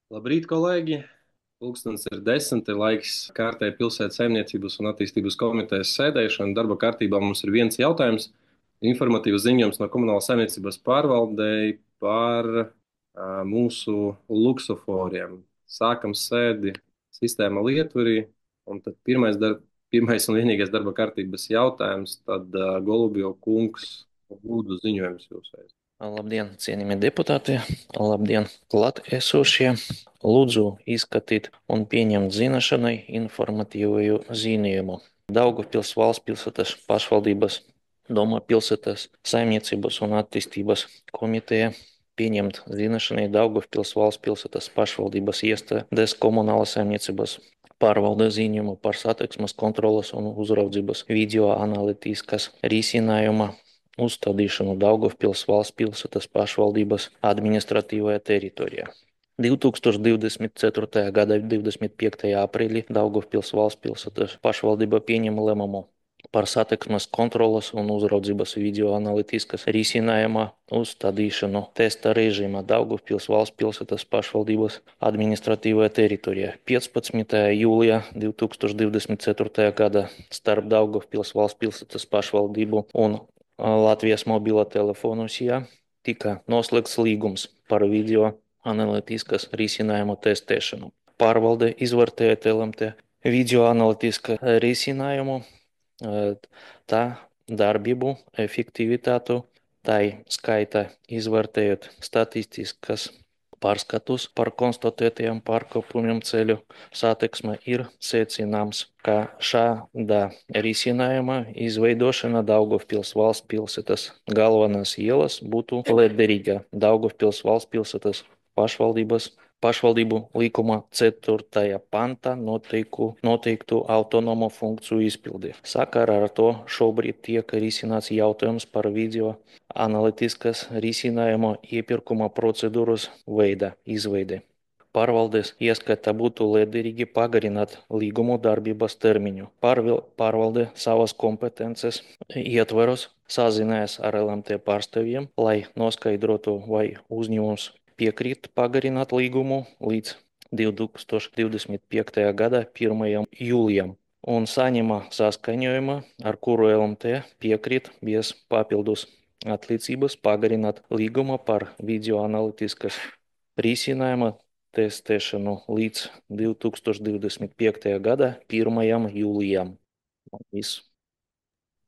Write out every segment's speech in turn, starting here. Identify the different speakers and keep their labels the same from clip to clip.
Speaker 1: Labrīt, kolēģi! Pulkstens ir 10, ir laiks kārtēji pilsētas saimniecības un attīstības komitejas sēdēšana. Darba kārtībā mums ir viens jautājums - informatīvs ziņojums no komunālas saimniecības pārvaldei par mūsu luksuforiem. Sākam sēdi sistēma lieturī, un tad pirmais un vienīgais darba kārtības jautājums, tad Golubjo kungs lūdzu ziņojums jūsēs.
Speaker 2: Labdien, cienījamie deputāti! Labdien, klātesošie! Lūdzu izskatīt un pieņemt zināšanai informatīvu ziņojumu. Daugavpils valsts pilsētas pašvaldības Doma pilsētas saimniecības un attīstības komiteja pieņemt zināšanai Daugavpils valsts pilsētas pašvaldības iestādes komunālas saimniecības pārvalde ziņojumu par satiksmes kontroles un uzraudzības video analītiskas risinājuma uzstādīšanu Daugavpils valsts pilsētas pašvaldības administratīvajā teritorijā. 2024. gada 25. aprīlī Daugavpils valsts pilsētas pašvaldība pieņēma lēmumu par satiksmes kontroles un uzraudzības video analītiskas risinājuma uzstādīšanu testa režīmā Daugavpils valsts pilsētas pašvaldības administratīvajā teritorijā. 15. jūlijā 2024. gada starp Daugavpils valsts pilsētas pašvaldību un Latvijas mobilo telefonu sijā tika noslēgts līgums par video analītiskas risinājumu testēšanu. Pārvalde izvērtēja LMT video analītiskā risinājumu, tā darbību, efektivitātu, tai skaita izvērtējot statistiskas pārskatus par konstatētajiem pārkāpumiem ceļu satiksmē, ir secināms, ka šāda risinājuma izveidošana Daugavpils valsts pilsētas galvenās ielas būtu lietderīga Daugavpils valsts pilsētas pašvaldību likuma 4. panta noteiktu autonomo funkciju izpildi. Sakarā ar to šobrīd tiek risināts jautājums par video analītiskas risinājuma iepirkuma procedūras veida izveidi. Pārvaldes ieskata būtu liederīgi pagarināt līgumu darbības termiņu. Pārvalde savas kompetences ietvaros sazinājās ar LMT pārstāvjiem, lai noskaidrotu, vai uzņēmums piekrīt pagarināt līgumu līdz 2025. gada 1. jūlijam un saņēma saskaņojumu, ar kuru LMT piekrīt bez papildus atliecības pagarināt līgumu par video analītiskas risinājuma testēšanu līdz 2025. gada 1. jūlijam. Viss.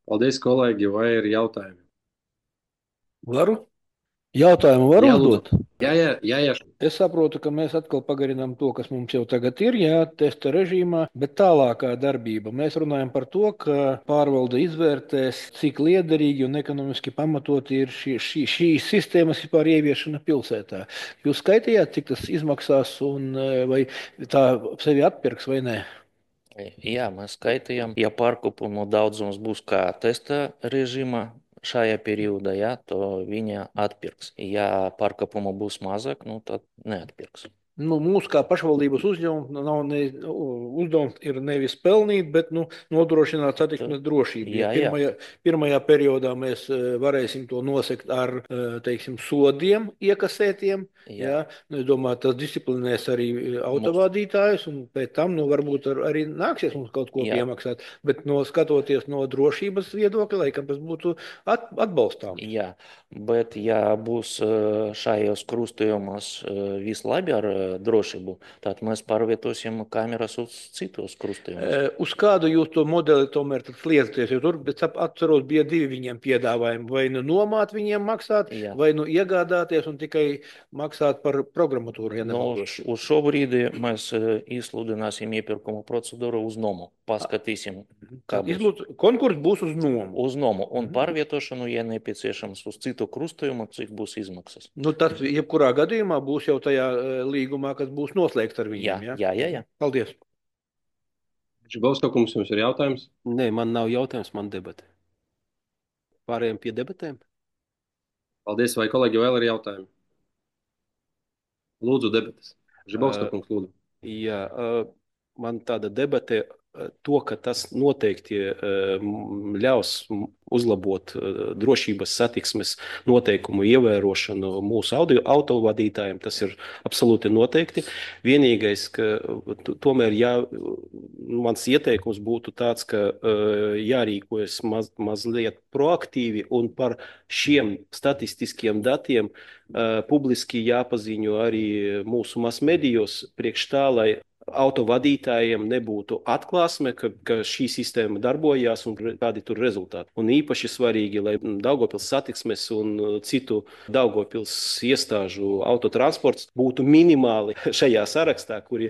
Speaker 1: Paldies, kolēģi, vai ir jautājumi?
Speaker 3: Varu? Jautājumu var
Speaker 1: Jā, lūdzu.
Speaker 3: uzdot?
Speaker 1: Jā.
Speaker 3: Es saprotu, ka mēs atkal pagarinām to, kas mums jau tagad ir, jā, testa režīmā, bet tālākā darbība. Mēs runājam par to, ka pārvalde izvērtēs, cik liederīgi un ekonomiski pamatot ir šīs sistēmas vispār ieviešana pilsētā. Jūs skaitījāt, cik tas izmaksās un vai tā sevi atpirks vai nē?
Speaker 2: Jā, mēs skaitījām, ja pārkāpumu daudzums būs kā testa režīmā šajā periodā, jā, to viņa atpirks. Ja pārkāpumu būs mazāk, tad neatpirks.
Speaker 3: Mūsu kā pašvaldības uzdevums uzdevums ir nevis pelnīt, bet nodrošināt satiksmes drošību.
Speaker 2: Jā.
Speaker 3: Pirmajā periodā mēs varēsim to nosekt ar, teiksim, sodiem iekasētiem. Jā. Es domāju, tas disciplinēs arī autovadītājus, un pēc tam varbūt arī nāksies mums kaut ko piemaksāt. Bet skatoties no drošības viedokļa, laikam tas būtu atbalstām.
Speaker 2: Jā, bet ja būs šajos krustojumos vislabi ar drošību, tad mēs pārvietosim kameras uz citos krustojumus.
Speaker 3: Uz kādu jūs to modeli tomēr sliecaties? Jo tur, atceros, bija divi viņiem piedāvājumi. Vai nomāt viņiem maksāt, vai iegādāties un tikai maksāt par programmatūru. Ja
Speaker 2: uz šo brīdi mēs izsludināsim iepirkumu procedūru uz nomu. Paskatīsim, kā būs.
Speaker 3: Konkurss būs uz nomu.
Speaker 2: Uz nomu un pārvietošanu, ja nepieciešams, uz citu krustojumu, cik būs izmaksas.
Speaker 3: Tas jebkurā gadījumā būs jau tajā līgumā, kas būs noslēgts ar viņiem.
Speaker 2: Jā.
Speaker 3: Paldies.
Speaker 1: Žibovska kungs, jums ir jautājums?
Speaker 4: Nē, man nav jautājums, man debate. Pārējiem pie debatēm?
Speaker 1: Paldies, vai kolēģi vēl ir jautājumi? Lūdzu, debates. Žibovska kungs, lūdzu.
Speaker 4: Jā, man tāda debate to, ka tas noteikti ļaus uzlabot drošības satiksmes noteikumu ievērošanu mūsu autovadītājiem, tas ir absolūti noteikti. Vienīgais, ka tomēr mans ieteikums būtu tāds, ka jārīkojas mazliet proaktīvi un par šiem statistiskiem datiem publiski jāpaziņo arī mūsu masmedijos priekš tā, lai autovadītājiem nebūtu atklāsme, ka šī sistēma darbojās un kādi tur rezultāti. Un īpaši svarīgi, lai Daugavpils satiksmes un citu Daugavpils iestāžu autotransports būtu minimāli šajā sarakstā, kuri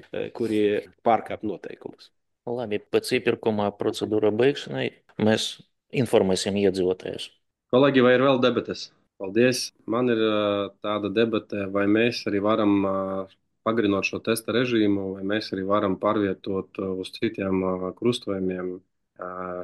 Speaker 4: pārkāp noteikumus.
Speaker 2: Labi, pēc iepirkuma procedūra beigšanai mēs informēsim iedzīvotājus.
Speaker 1: Kolēģi, vai ir vēl debates? Paldies. Man ir tāda debate, vai mēs arī varam pagarinot šo testa režīmu, vai mēs arī varam pārvietot uz citiem krustojumiem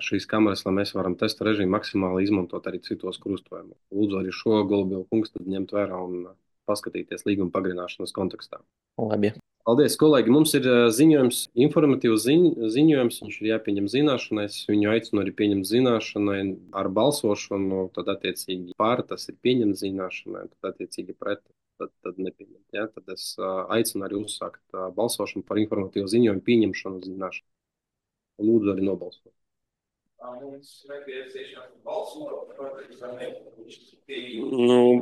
Speaker 1: šīs kameras, lai mēs varam testa režīmu maksimāli izmantot arī citos krustojumos. Lūdzu arī šo Golubielu kungs tad ņemt vērā un paskatīties līguma pagarināšanas kontekstā.
Speaker 2: Labi.
Speaker 1: Paldies, kolēģi. Mums ir ziņojums, informatīvs ziņojums, viņš ir jāpieņem zināšanai. Es viņu aicinu arī pieņemt zināšanai ar balsošanu, tad attiecīgi pār tas ir pieņemt zināšanai, tad attiecīgi pret, tad nepieņemt. Ja? Tad es aicinu arī uzsākt balsošanu par informatīvu ziņojumu pieņemšanu zināšanai. Lūdzu arī nobalsot.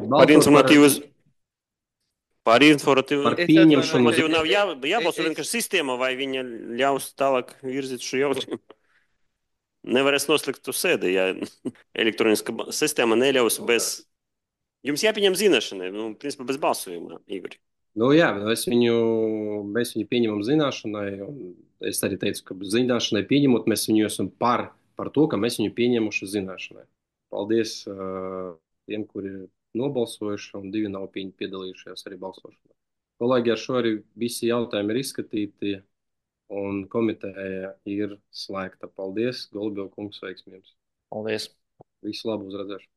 Speaker 4: Par informatīvas. Par
Speaker 1: pieņemšanu.
Speaker 5: Jau nav jābalso vienkārši sistēma, vai viņa ļaus tālāk virzīt šo jautājumu. Nevarēs noslēgt uz sēdi, ja elektroniska sistēma neļaus bez... Jums jāpieņem zināšanai, principā bez balsojuma, Igor.
Speaker 1: Jā, mēs viņu pieņemam zināšanai, un es arī teicu, ka zināšanai pieņemot, mēs viņu esam par to, ka mēs viņu pieņemuši zināšanai. Paldies tiem, kuri nobalsojuši, un 2 nav piedalījušies arī balsošanā. Kolēģi, ar šo arī visi jautājumi ir izskatīti, un komiteja ir slēgta. Paldies, Golubielu kungs, veiksmi jums.
Speaker 2: Paldies.
Speaker 1: Visu labu, uz redzēšanu.